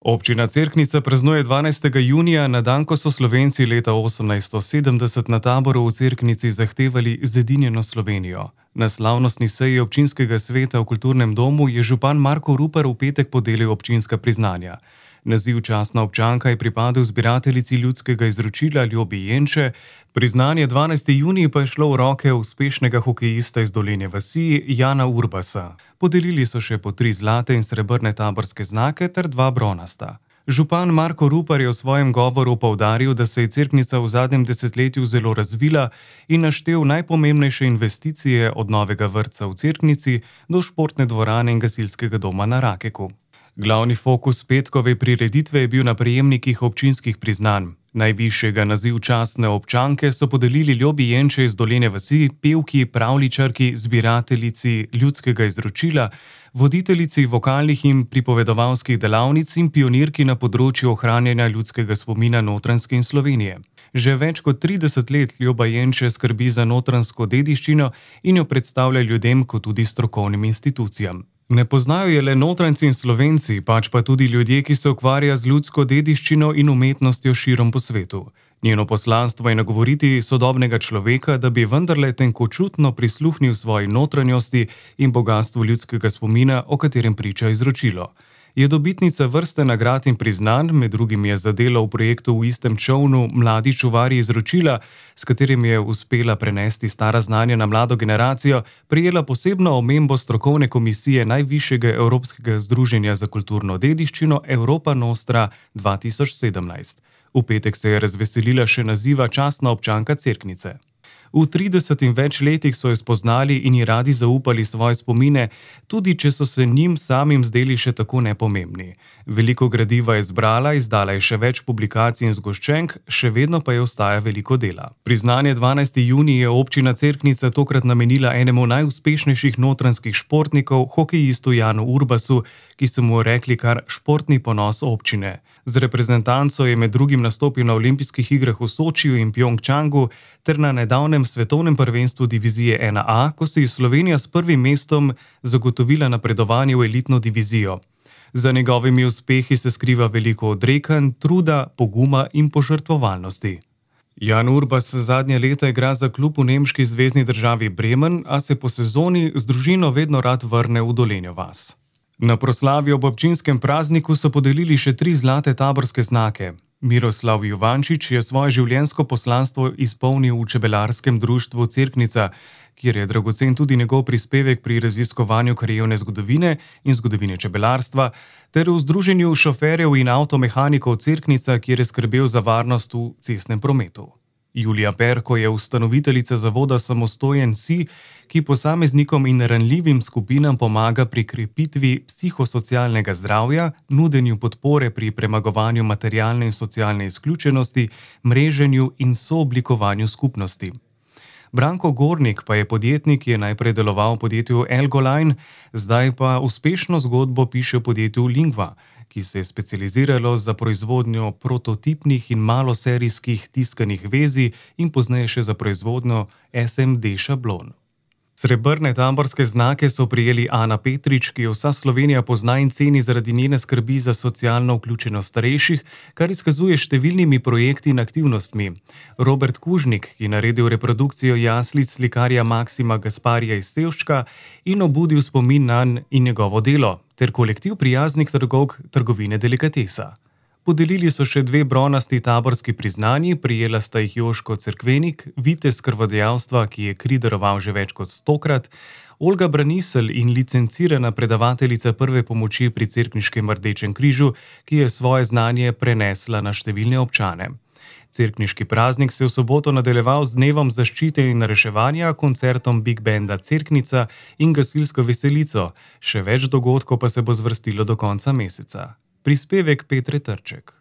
Občina Cerknica praznuje 12. junija, na dan, ko so Slovenci leta 1870 na taboru v Cerknici zahtevali zedinjeno Slovenijo. Na slavnostni seji občinskega sveta v kulturnem domu je župan Marko Rupar v petek podelil občinska priznanja. Naziv častna občanka je pripadel zbirateljici ljudskega izročila Ljobi Jenče, priznanje 12. junij pa je šlo v roke uspešnega hokejista iz Dolenje vasi Jana Urbasa. Podelili so še po 3 zlate in srebrne taborske znake ter 2 bronasta. Župan Marko Rupar je v svojem govoru poudaril, da se je Cerknica v zadnjem desetletju zelo razvila in naštel najpomembnejše investicije od novega vrtca v Cerknici do športne dvorane in gasilskega doma na Rakeku. Glavni fokus petkove prireditve je bil na prejemnikih občinskih priznanj. Najvišjega naziv častne občanke so podelili Ljobi Jenče iz Dolenje vasi, pevki, pravljičarki, zbirateljici ljudskega izročila, voditeljici vokalnih in pripovedovalskih delavnic in pionirki na področju ohranjanja ljudskega spomina Notranjske in Slovenije. Že več kot 30 let Ljoba Jenče skrbi za notranjsko dediščino in jo predstavlja ljudem kot tudi strokovnim institucijam. Ne poznajo je le Notranjci in Slovenci, pač pa tudi ljudje, ki se ukvarjajo z ljudsko dediščino in umetnostjo širom po svetu. Njeno poslanstvo je nagovoriti sodobnega človeka, da bi vendarle tenkočutno prisluhnil svoji notranjosti in bogastvu ljudskega spomina, o katerem priča izročilo. Je dobitnica vrste nagrad in priznanj, med drugim je za delo v projektu V istem čolnu Mladi čuvarji izročila, s katerim je uspela prenesti stara znanja na mlado generacijo, prejela posebno omembo strokovne komisije Najvišjega evropskega združenja za kulturno dediščino Europa Nostra 2017. V petek se je razveselila še naziva častna občanka Cerknice. V 30 in več letih so jo spoznali in ji radi zaupali svoje spomine, tudi če so se njim samim zdeli še tako nepomembni. Veliko gradiva je zbrala, izdala je še več publikacij in zgoščenk, še vedno pa je ostaja veliko dela. Priznanje 12. junij je občina Cerknica tokrat namenila enemu najuspešnejših notranjskih športnikov, hokejistu Janu Urbasu, ki so mu rekli kar športni ponos občine. Z reprezentanco je med drugim nastopil na olimpijskih igrah v Sočiju in Pjongčangu ter na nedavnem svetovnem prvenstvu divizije 1A, ko se je Slovenija s prvim mestom zagotovila napredovanje v elitno divizijo. Za njegovimi uspehi se skriva veliko odrekanj, truda, poguma in požrtvovalnosti. Jan Urbas zadnje leta igra za klub v nemški zvezni državi Bremen, a se po sezoni z družino vedno rad vrne v Dolenjo vas. Na proslavi ob občinskem prazniku so podelili še 3 zlate taborske znake. Miroslav Juvančič je svoje življenjsko poslanstvo izpolnil v čebelarskem društvu Cerknica, kjer je dragocen tudi njegov prispevek pri raziskovanju krajevne zgodovine in zgodovine čebelarstva, ter v združenju šoferjev in avtomehanikov Cerknica, kjer je skrbel za varnost v cestnem prometu. Julija Perko je ustanoviteljica zavoda Samostojen si, ki posameznikom in ranljivim skupinam pomaga pri krepitvi psihosocialnega zdravja, nudenju podpore pri premagovanju materialne in socialne izključenosti, mreženju in sooblikovanju skupnosti. Branko Gornik pa je podjetnik, ki je najprej deloval v podjetju Elgoline, zdaj pa uspešno zgodbo piše v podjetju Lingva, ki se je specializiralo za proizvodnjo prototipnih in maloserijskih tiskanih vezij in pozneje še za proizvodnjo SMD šablon. Srebrne taborske znake so prijeli Ana Petrič, ki jo vsa Slovenija pozna in ceni zaradi njene skrbi za socialno vključenost starejših, kar izkazuje številnimi projekti in aktivnostmi. Robert Kužnik, ki je naredil reprodukcijo jaslic slikarja Maksima Gasparija iz Sevščka in obudil spomin nanj in njegovo delo, ter kolektiv prijaznih trgovk trgovine Delikatesa. Podelili so še 2 bronasti taborski priznanji, prijela sta jih Joško Cerkvenik, vitez krvodajalstva, ki je kri daroval že več kot 100-krat, Olga Braniselj in licencirana predavateljica prve pomoči pri Cerkniškem Rdečem križu, ki je svoje znanje prenesla na številne občane. Cerkniški praznik se je v soboto nadaljeval z dnevom zaščite in reševanja, koncertom Big Banda Cerknica in gasilsko veselico, še več dogodkov pa se bo zvrstilo do konca meseca. Prispevek Petre Trček.